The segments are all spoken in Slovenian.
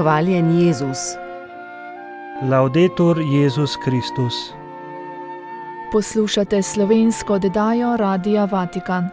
Hvaljen Jezus. Laudetur Jezus Kristus. Poslušate slovensko oddajo Radia Vatikan.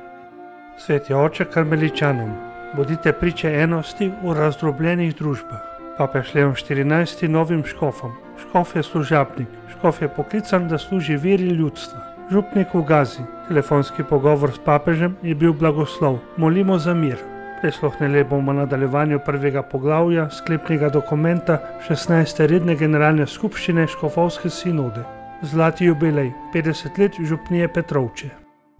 Sveti oče karmeličanom, bodite priče enosti v razdrobljenih družbah. Papež Leon XIV novim škofom. Škof je služabnik, škof je poklican, da služi veri ljudstva. Župnik v Gazi. Telefonski pogovor s papežem je bil blagoslov. Molimo za mir. Prisluhnili bomo nadaljevanju prvega poglavja sklepnega dokumenta 16. redne generalne skupščine Škofovske sinode. Zlati jubilej, 50 let župnije Petrovče.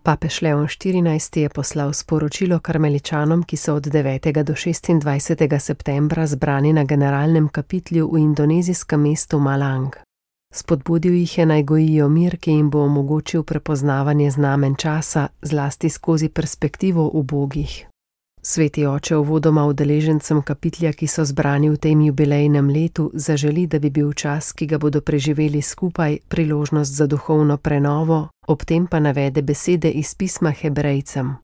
Papež Leon XIV je poslal sporočilo karmeličanom, ki so od 9. do 26. septembra zbrani na generalnem kapitlju v indonezijskem mestu Malang. Spodbudil jih je, naj gojijo mir, ki jim bo omogočil prepoznavanje znamen časa, zlasti skozi perspektivo ubogih. Sveti oče uvodoma udeležencem kapitlja, ki so zbrani v tem jubilejnem letu, zaželi, da bi bil čas, ki ga bodo preživeli skupaj, priložnost za duhovno prenovo, ob tem pa navede besede iz pisma Hebrejcem.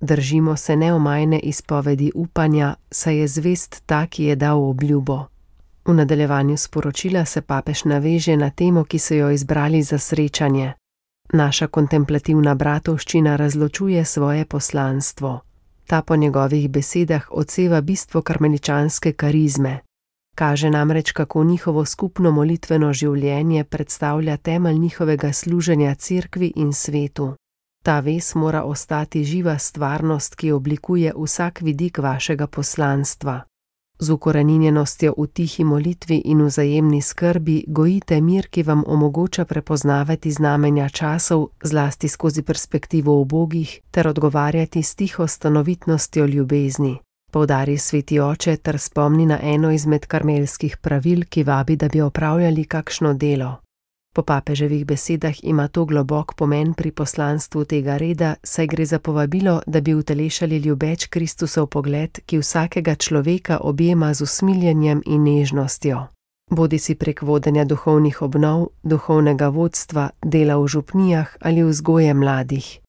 Držimo se neomajne izpovedi upanja, saj je zvest ta, ki je dal obljubo. V nadaljevanju sporočila se papež naveže na temo, ki so jo izbrali za srečanje. Naša kontemplativna bratovščina razločuje svoje poslanstvo. Ta po njegovih besedah odseva bistvo karmeličanske karizme. Kaže namreč, kako njihovo skupno molitveno življenje predstavlja temelj njihovega služenja cerkvi in svetu. Ta vez mora ostati živa stvarnost, ki oblikuje vsak vidik vašega poslanstva. Z ukoreninjenostjo v tihi molitvi in vzajemni skrbi gojite mir, ki vam omogoča prepoznavati znamenja časov, zlasti skozi perspektivo ubogih, ter odgovarjati s tiho stanovitnostjo ljubezni. Poudari sveti oče ter spomni na eno izmed karmelskih pravil, ki vabi, da bi opravljali kakšno delo. Po papeževih besedah ima to globok pomen pri poslanstvu tega reda, saj gre za povabilo, da bi utelešali ljubeč Kristusov pogled, ki vsakega človeka objema z usmiljenjem in nežnostjo. Bodisi prek vodenja duhovnih obnov, duhovnega vodstva, dela v župnijah ali vzgoje mladih.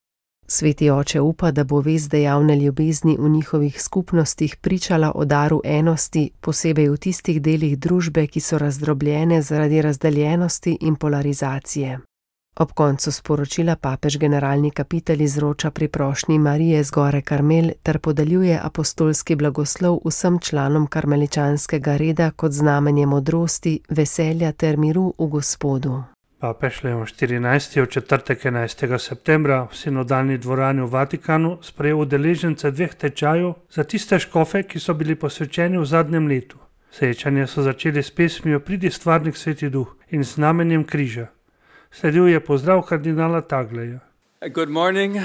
Sveti oče upa, da bo vez dejavne ljubezni v njihovih skupnostih pričala o daru enosti, posebej v tistih delih družbe, ki so razdrobljene zaradi razdeljenosti in polarizacije. Ob koncu sporočila papež generalni kapitel izroča priprošnji Marije z gore Karmel ter podeljuje apostolski blagoslov vsem članom karmeličanskega reda kot znamenje modrosti, veselja ter miru v Gospodu. Papež Leon XIV je v četrtek 11. septembra v sinodalni dvorani v Vatikanu sprejel udeležence 2 tečajev za tiste škofe, ki so bili posvečeni v zadnjem letu. Srečanje so začeli s pesmijo Pridi stvarnik Sveti Duh in znamenjem križa. Sledil je pozdrav kardinala Tagleja. Good morning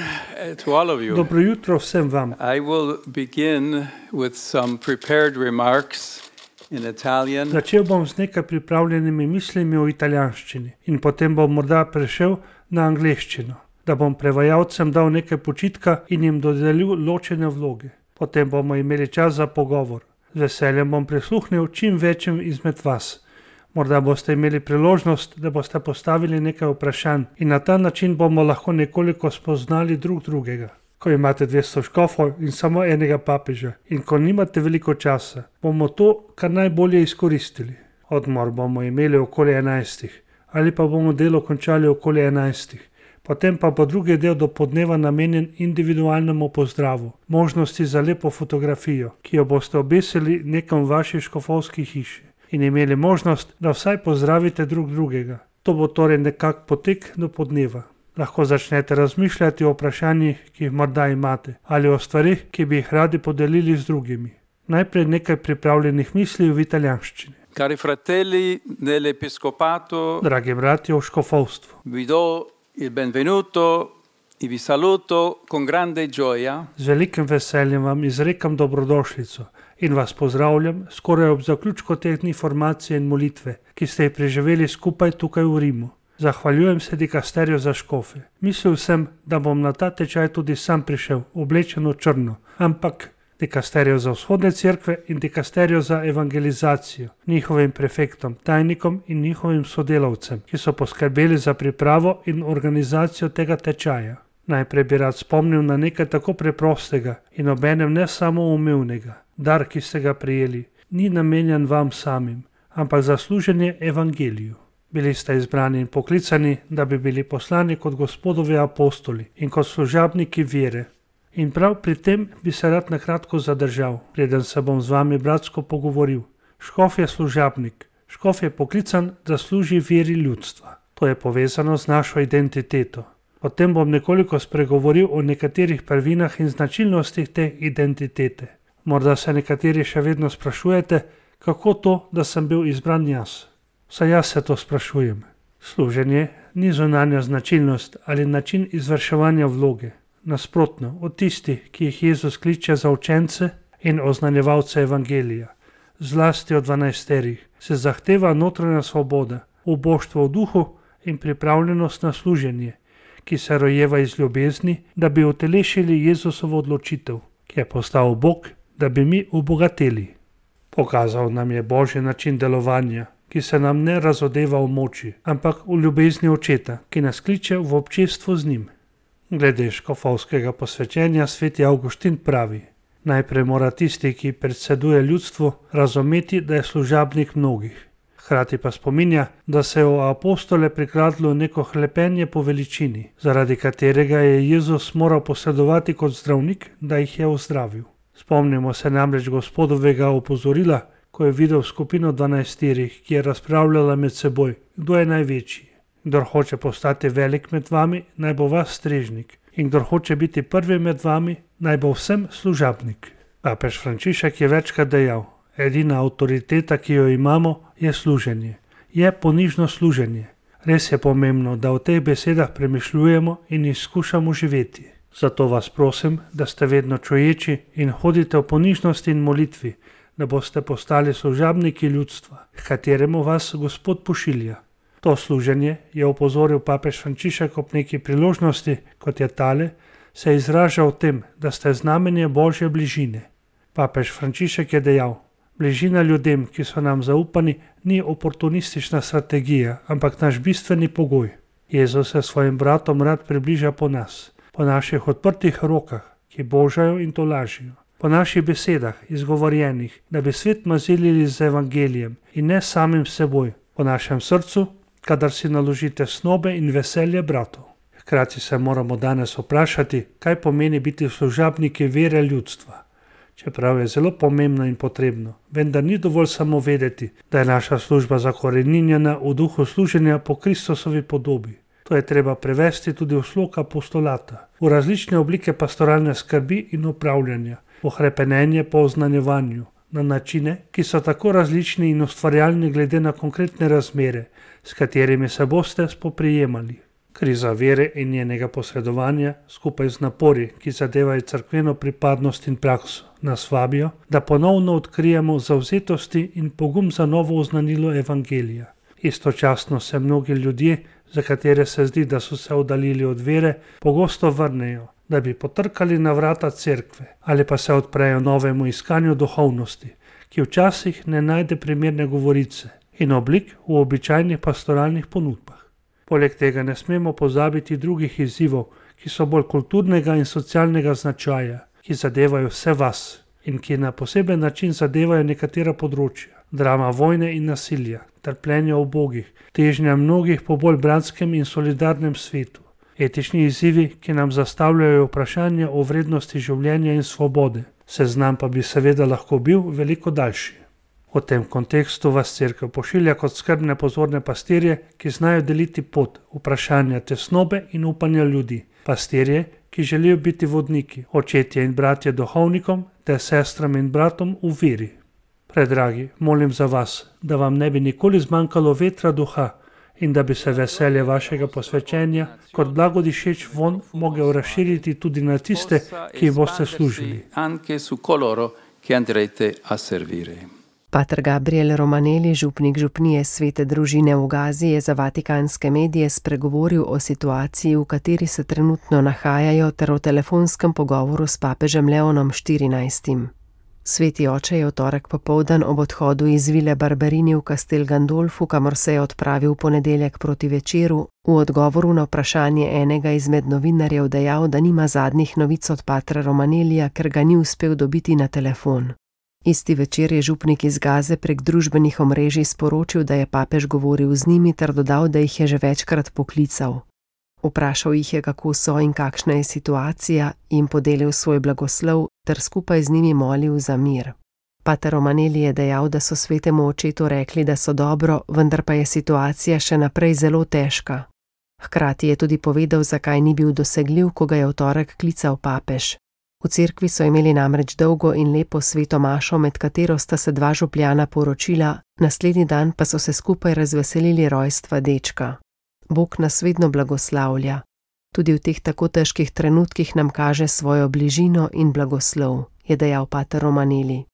to all of you. Dobro jutro vsem vam. I will begin with some prepared remarks in Italian. Začel bom z nekaj pripravljenimi mislimi o italijanščini in potem bom morda prešel na angleščino, da bom prevajalcem dal nekaj počitka in jim dodelil ločene vloge. Potem bomo imeli čas za pogovor. Z veseljem bom prisluhnil čim večjim izmed vas. Morda boste imeli priložnost, da boste postavili nekaj vprašanj in na ta način bomo lahko nekoliko spoznali drug drugega. Ko imate 200 škofov in samo enega papeža in ko nimate veliko časa, bomo to kar najbolje izkoristili. Odmor bomo imeli okoli 11. ali pa bomo delo končali okoli 11. Potem pa bo drugi del dopoldneva namenjen individualnemu pozdravu, možnosti za lepo fotografijo, ki jo boste obesili nekam v vaši škofovski hiši in imeli možnost, da vsaj pozdravite drug drugega. To bo torej nekak potek do podneva. Lahko začnete razmišljati o vprašanjih, ki jih morda imate, ali o stvarih, ki bi jih radi podelili z drugimi. Najprej nekaj pripravljenih misli v italijanščini. Cari fratelli dell'Episcopato, Dragi bratje v škofovstvu, vi do il benvenuto e vi saluto con grande gioia. z velikim veseljem vam izrekam dobrodošlico in vas pozdravljam skoraj ob zaključku te dni formacije in molitve, ki ste jih preživeli skupaj tukaj v Rimu. Zahvaljujem se dikasterju za škofe. Mislil sem, da bom na ta tečaj tudi sam prišel, oblečen v črno, ampak dikasterju za vzhodne cerkve in dikasterju za evangelizacijo, njihovim prefektom, tajnikom in njihovim sodelavcem, ki so poskrbeli za pripravo in organizacijo tega tečaja. Najprej bi rad spomnil na nekaj tako preprostega in obenem ne samoumevnega, dar, ki ste ga prijeli. ni namenjen vam samim, ampak za služenje evangeliju. Bili ste izbrani in poklicani, da bi bili poslani kot Gospodovi apostoli in kot služabniki vere. In prav pri tem bi se rad na kratko zadržal, preden se bom z vami bratsko pogovoril. Škof je služabnik, škof je poklican, da služi veri ljudstva. To je povezano z našo identiteto. Potem bom nekoliko spregovoril o nekaterih prvinah in značilnostih te identitete. Morda se nekateri še vedno sprašujete, kako to, da sem bil izbran jaz. Saj jaz se to sprašujem. Služenje ni zunanja značilnost ali način izvrševanja vloge. Nasprotno, od tistih, ki jih Jezus kliče za učence in oznanjevalce evangelija, zlasti od 12, se zahteva notranja svoboda, uboštvo v duhu in pripravljenost na služenje, ki se rojeva iz ljubezni, da bi utelešili Jezusovo odločitev, ki je postal Bog, da bi mi obogateli. Pokazal nam je Božji način delovanja, ki se nam ne razodeva v moči, ampak v ljubezni očeta, ki nas kliče v občestvo z njim. Glede škofovskega posvečenja sveti Avguštin pravi: najprej mora tisti, ki predseduje ljudstvu, razumeti, da je služabnik mnogih. Hkrati pa spominja, da se je v apostole prikradlo neko hlepenje po veličini, zaradi katerega je Jezus moral posredovati kot zdravnik, da jih je ozdravil. Spomnimo se namreč Gospodovega opozorila, ko je videl skupino 12, ki je razpravljala med seboj, kdo je največji. Kdor hoče postati velik med vami, naj bo vas strežnik, in kdor hoče biti prvi med vami, naj bo vsem služabnik. Papež Frančišek je večkrat dejal: edina avtoriteta, ki jo imamo, je služenje. Je ponižno služenje. Res je pomembno, da o teh besedah premišljujemo in jih skušamo živeti. Zato vas prosim, da ste vedno čuječi in hodite v ponižnosti in molitvi, da boste postali služabniki ljudstva, k kateremu vas Gospod pošilja. To služenje, je opozoril papež Frančišek ob neki priložnosti, kot je tale, se izraža v tem, da ste znamenje Božje bližine. Papež Frančišek je dejal: bližina ljudem, ki so nam zaupani, ni oportunistična strategija, ampak naš bistveni pogoj. Jezus se svojim bratom rad približa po nas, po naših odprtih rokah, ki božajo in tolažijo, po naših besedah, izgovorjenih, da bi svet mazilili z evangelijem in ne samim seboj, po našem srcu, kadar si naložite snobe in veselje bratov. Hkrati se moramo danes vprašati, kaj pomeni biti služabniki vere ljudstva. Čeprav je zelo pomembno in potrebno, vendar ni dovolj samo vedeti, da je naša služba zakoreninjena v duhu služenja po Kristusovi podobi. To je treba prevesti tudi v slog apostolata, v različne oblike pastoralne skrbi in upravljanja, v hrepenenje po oznanjevanju, na načine, ki so tako različni in ustvarjalni glede na konkretne razmere, s katerimi se boste spoprijemali. Kriza vere in njenega posredovanja, skupaj z napori, ki zadevajo cerkveno pripadnost in prakso, nas vabijo, da ponovno odkrijemo zavzetosti in pogum za novo oznanilo evangelija. Istočasno se mnogi ljudje, za katere se zdi, da so se oddaljili od vere, pogosto vrnejo, da bi potrkali na vrata cerkve ali pa se odprejo novemu iskanju duhovnosti, ki včasih ne najde primerne govorice in oblik v običajnih pastoralnih ponudbah. Poleg tega ne smemo pozabiti drugih izzivov, ki so bolj kulturnega in socialnega značaja, ki zadevajo vse vas in ki na poseben način zadevajo nekatera področja. Drama vojne in nasilja, trpljenja ubogih, težnja mnogih po bolj bratskem in solidarnem svetu. Etični izzivi, ki nam zastavljajo vprašanja o vrednosti življenja in svobode. Seznam pa bi seveda lahko bil veliko daljši. V tem kontekstu vas cerkev pošilja kot skrbne pozorne pastirje, ki znajo deliti pot, vprašanja tesnobe in upanja ljudi. Pastirje, ki želijo biti vodniki, očetje in bratje duhovnikom ter sestram in bratom v veri. Predragi, molim za vas, da vam ne bi nikoli zmanjkalo vetra duha in da bi se veselje vašega posvečenja kot blagodišeč von mogel razširiti tudi na tiste, ki jim boste služili. Pater Gabriel Romanelli, župnik župnije Svete družine v Gazi, je za vatikanske medije spregovoril o situaciji, v kateri se trenutno nahajajo, ter o telefonskem pogovoru s papežem Leonom XIV. Sveti oče je v torek popoldan ob odhodu iz vile Barberini v Castel Gandolfu, kamor se je odpravil v ponedeljek proti večeru, v odgovoru na vprašanje enega izmed novinarjev dejal, da nima zadnjih novic od patra Romanellija, ker ga ni uspel dobiti na telefon. Isti večer je župnik iz Gaze prek družbenih omrežij sporočil, da je papež govoril z njimi ter dodal, da jih je že večkrat poklical. Vprašal jih je, kako so in kakšna je situacija, jim podelil svoj blagoslov ter skupaj z njimi molil za mir. Pater Romanelli je dejal, da so svetemu očetu rekli, da so dobro, vendar pa je situacija še naprej zelo težka. Hkrati je tudi povedal, zakaj ni bil dosegljiv, ko ga je v torek klical papež. V cerkvi so imeli namreč dolgo in lepo sveto mašo, med katero sta se dva župljana poročila, naslednji dan pa so se skupaj razveselili rojstva dečka. Bog nas vedno blagoslavlja. Tudi v teh tako težkih trenutkih nam kaže svojo bližino in blagoslov, je dejal pater Romanelli.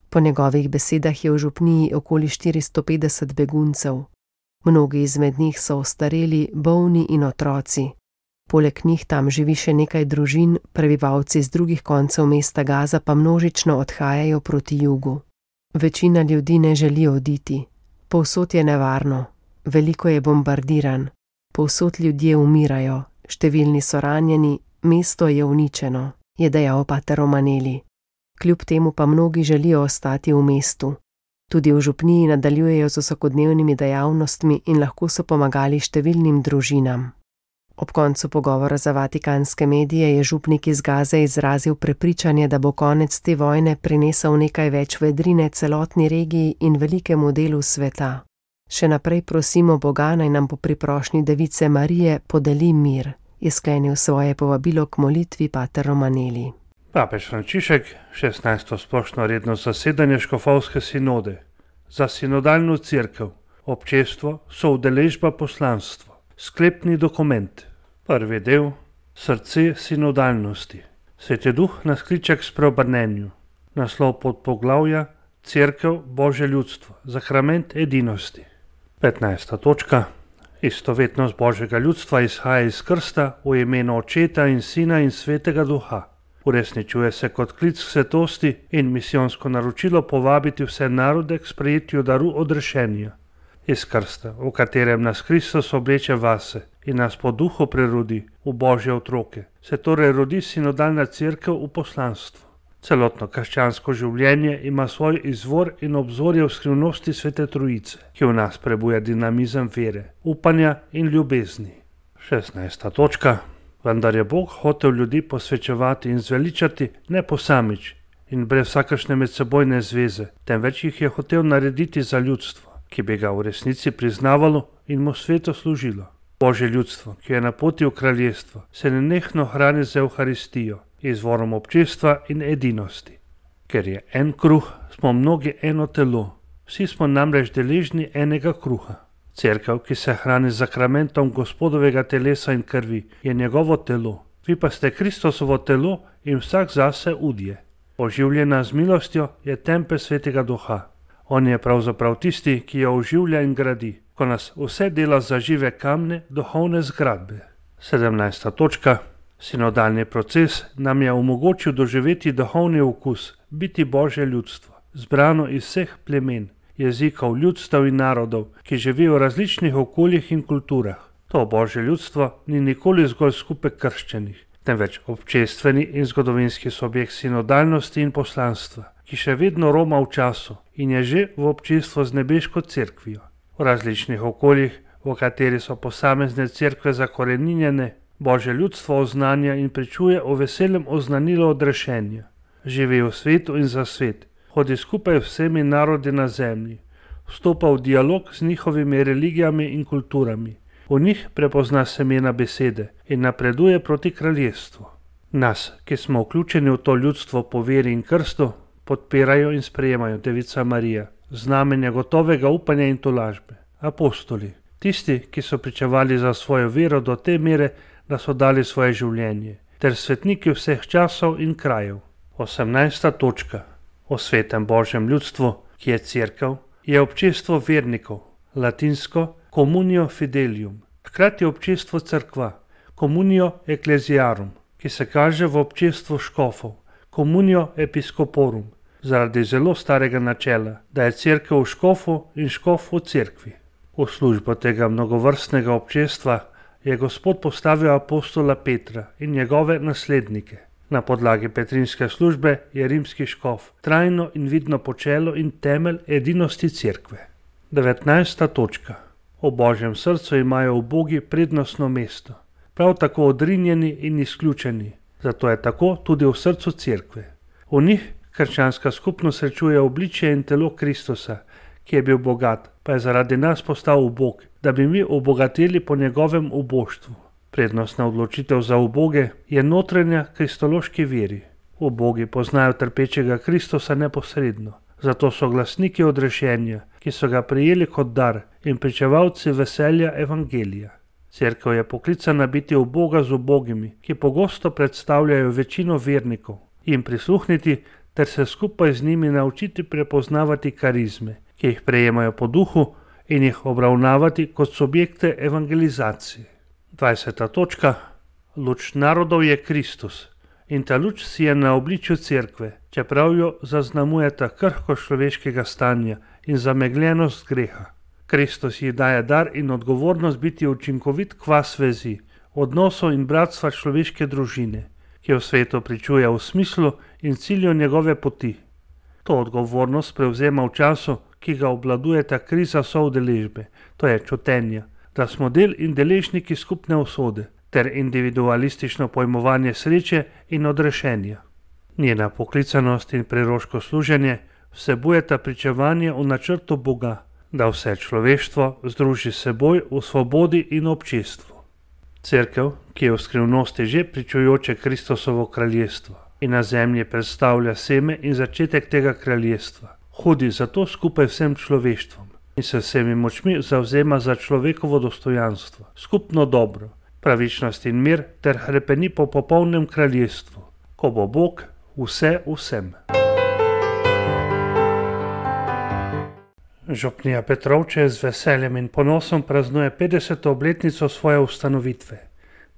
Po njegovih besedah je v župniji okoli 450 beguncev. Mnogi izmed njih so ostareli, bolni in otroci. Poleg njih tam živi še nekaj družin, prebivalci z drugih koncev mesta Gaza pa množično odhajajo proti jugu. Večina ljudi ne želi oditi. Povsod je nevarno. Veliko je bombardiran. Povsod ljudje umirajo. Številni so ranjeni, mesto je uničeno, je dejal pater Romanelli. Kljub temu pa mnogi želijo ostati v mestu. Tudi v župniji nadaljujejo z vsakodnevnimi dejavnostmi in lahko so pomagali številnim družinam. Ob koncu pogovora za vatikanske medije je župnik iz Gaze izrazil prepričanje, da bo konec te vojne prinesel nekaj več vedrine celotni regiji in velikemu delu sveta. Še naprej prosimo Boga, naj nam po priprošnji Device Marije podeli mir, je sklenil svoje povabilo k molitvi pater Romanelli. Papež Frančišek, 16. splošno redno zasedanje škofovske sinode, za sinodalno cerkev, občestvo, soudeležba, poslanstvo, sklepni dokument, prvi del, srce sinodalnosti. Sveti Duh nas kliče k spreobrnenju, naslov podpoglavja, cerkev, Božje ljudstvo, sakrament edinosti. 15. točka, istovetnost Božjega ljudstva izhaja iz krsta v imenu Očeta in Sina in Svetega Duha. Uresničuje se kot klic k svetosti in misijonsko naročilo povabiti vse narode k sprejetju daru odrešenja. Iz krsta, v katerem nas Kristus obleče vase in nas po duhu prerodi v Božje otroke, se torej rodi sinodalna cerkev v poslanstvu. Celotno krščansko življenje ima svoj izvor in obzorje v skrivnosti Svete Trojice, ki v nas prebuja dinamizem vere, upanja in ljubezni. 16. točka. Vendar je Bog hotel ljudi posvečevati in zveličati ne posamič in brez vsakršne medsebojne zveze, temveč jih je hotel narediti za ljudstvo, ki bi ga v resnici priznavalo in mu sveto služilo. Božje ljudstvo, ki je na poti v kraljestvo, se nenehno hrani z Evharistijo, izvorom občestva in edinosti. Ker je en kruh, smo mnogi eno telo, vsi smo namreč deležni enega kruha. Cerkev, ki se hrani z sakramentom Gospodovega telesa in krvi, je njegovo telo. Vi pa ste Kristusovo telo in vsak zase udje. Oživljena z milostjo je tempelj Svetega Duha. On je pravzaprav tisti, ki jo oživlja in gradi, ko nas vse dela za žive kamne, duhovne zgradbe. 17. točka. Sinodalni proces nam je omogočil doživeti duhovni okus, biti Božje ljudstvo, zbrano iz vseh plemen, jezikov, ljudstev in narodov, ki živijo v različnih okoljih in kulturah. To Božje ljudstvo ni nikoli zgolj skupek krščenih, temveč občestveni in zgodovinski subjekt sinodalnosti in poslanstva, ki še vedno roma v času in je že v občestvu z nebeško cerkvijo. V različnih okoljih, v kateri so posamezne cerkve zakoreninjene, Božje ljudstvo oznanja in pričuje o veselem oznanilu odrešenja. Živi v svetu in za svet, hodi skupaj vsemi narodi na zemlji, vstopa v dialog z njihovimi religijami in kulturami. V njih prepozna semena besede in napreduje proti kraljestvu. Nas, ki smo vključeni v to ljudstvo po veri in krstu, podpirajo in sprejemajo Devica Marija, znamenja gotovega upanja in tolažbe, apostoli, tisti, ki so pričevali za svojo vero do te mere, da so dali svoje življenje, ter svetniki vseh časov in krajev. 18. točka. O svetem Božjem ljudstvu, ki je cerkev, je občestvo vernikov, latinsko communio fidelium, hkrati občestvo cerkva, communio ecclesiarum, ki se kaže v občestvu škofov, communio episcoporum, zaradi zelo starega načela, da je cerkev v škofu in škof v cerkvi. V službo tega mnogovrstnega občestva je Gospod postavil apostola Petra in njegove naslednike. Na podlagi petrinske službe je rimski škof trajno in vidno počelo in temelj edinosti cerkve. 19. točka. V Božjem srcu imajo ubogi prednostno mesto, prav tako odrinjeni in izključeni, zato je tako tudi v srcu cerkve. V njih krščanska skupnost srečuje obličje in telo Kristusa, ki je bil bogat, pa je zaradi nas postal ubog, da bi mi obogateli po njegovem uboštvu. Prednostna odločitev za uboge je notranja kristološki veri. Ubogi poznajo trpečega Kristusa neposredno, zato so glasniki odrešenja, ki so ga prejeli kot dar in pričevalci veselja evangelija. Cerkev je poklicana biti uboga z ubogimi, ki pogosto predstavljajo večino vernikov, jim prisluhniti ter se skupaj z njimi naučiti prepoznavati karizme, ki jih prejemajo po duhu, in jih obravnavati kot subjekte evangelizacije. 20. točka. Luč narodov je Kristus in ta luč si je na obličju cerkve, čeprav jo zaznamujeta krhkost človeškega stanja in zamegljenost greha. Kristus ji daje dar in odgovornost biti učinkovit kvas vezi, odnosov in bratstva človeške družine, ki v svetu pričuje v smislu in cilju njegove poti. To odgovornost prevzema v času, ki ga obvladuje ta kriza soudeležbe, to je čutenja, da smo del in deležniki skupne usode, ter individualistično pojmovanje sreče in odrešenja. Njena poklicanost in preroško služenje vsebujeta pričevanje o načrtu Boga, da vse človeštvo združi s seboj v svobodi in občestvu. Cerkev, ki je v skrivnosti že pričujoče Kristusovo kraljestvo in na zemlji predstavlja seme in začetek tega kraljestva, hodi zato skupaj vsem človeštvom in se vsemi močmi zavzema za človekovo dostojanstvo, skupno dobro, pravičnost in mir ter hrepeni po popolnem kraljestvu, ko bo Bog vse vsem. Župnija Petrovče z veseljem in ponosom praznuje 50. obletnico svoje ustanovitve.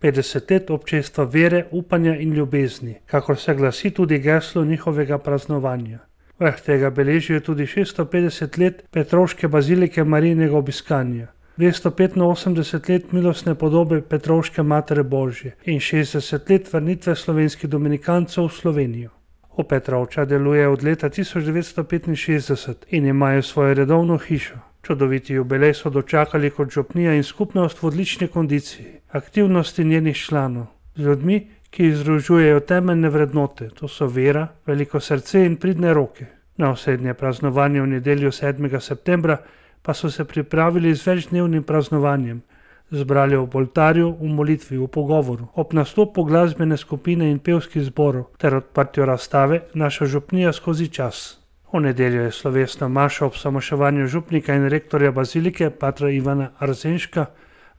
50 let občestva vere, upanja in ljubezni, kakor se glasi tudi geslo njihovega praznovanja. Vrh tega beležijo tudi 650 let Petrovške bazilike Marijinega obiskanja, 285 let milostne podobe Petrovške Matere Božje in 60 let vrnitve slovenskih dominikancev v Slovenijo. V Petrovča deluje od leta 1965 in imajo svojo redovno hišo. Čudoviti jubilej so dočakali kot župnija in skupnost v odlični kondiciji, aktivnosti njenih članov, z ljudmi, ki združujejo temeljne vrednote, to so vera, veliko srce in pridne roke. Na osrednje praznovanje v nedeljo 7. septembra pa so se pripravili z večdnevnim praznovanjem, zbrali ob oltarju, v molitvi, v pogovoru, ob nastopu glasbene skupine in pevskih zborov ter odprtju razstave Naša župnija skozi čas. V nedeljo je slovesna maša ob samoševanju župnika in rektorja bazilike patra Ivana Arzenška,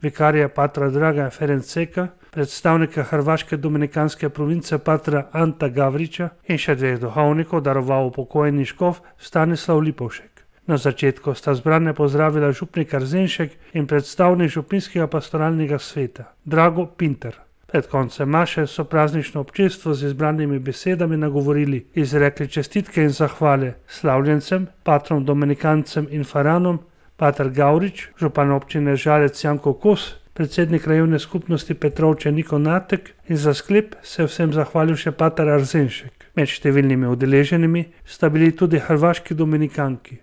vikarija patra Draga Ferenceka, predstavnika hrvaške dominikanske province patra Anta Gavriča in še dveh duhovnikov daroval upokojeni škof Stanislav Lipovšek. Na začetku sta zbrane pozdravila župnik Arzenšek in predstavnik župnijskega pastoralnega sveta Drago Pinter. Pred koncem maše so praznično občestvo z izbranimi besedami nagovorili, izrekli čestitke in zahvale slavljencem, patrom dominikancem in faranom, pater Gavrič, župan občine Žalec Janko Kos, predsednik krajevne skupnosti Petrovče Niko Natek in za sklep se vsem zahvalil še pater Arzenšek. Med številnimi udeleženimi sta bili tudi hrvaški dominikanki,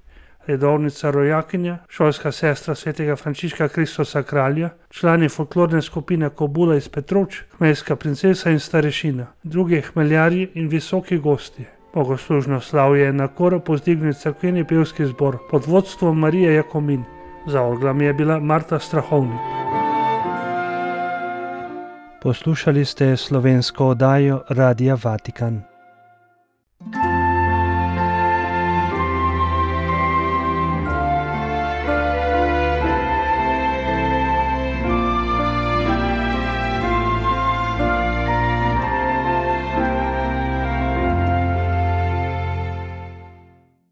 redovnica rojakinja, šolska sestra svetega Frančiška Kristosa kralja, člani folklorne skupine Kobula iz Petrovč, hmeljska princesa in starešina, drugi hmeljarji in visoki gostje. Bogoslužno slavje je na koro povzdignil cerkveni pevski zbor pod vodstvom Marije Jakomin. Za orglami je bila Marta Strahovnik. Poslušali ste slovensko oddajo Radia Vatikan.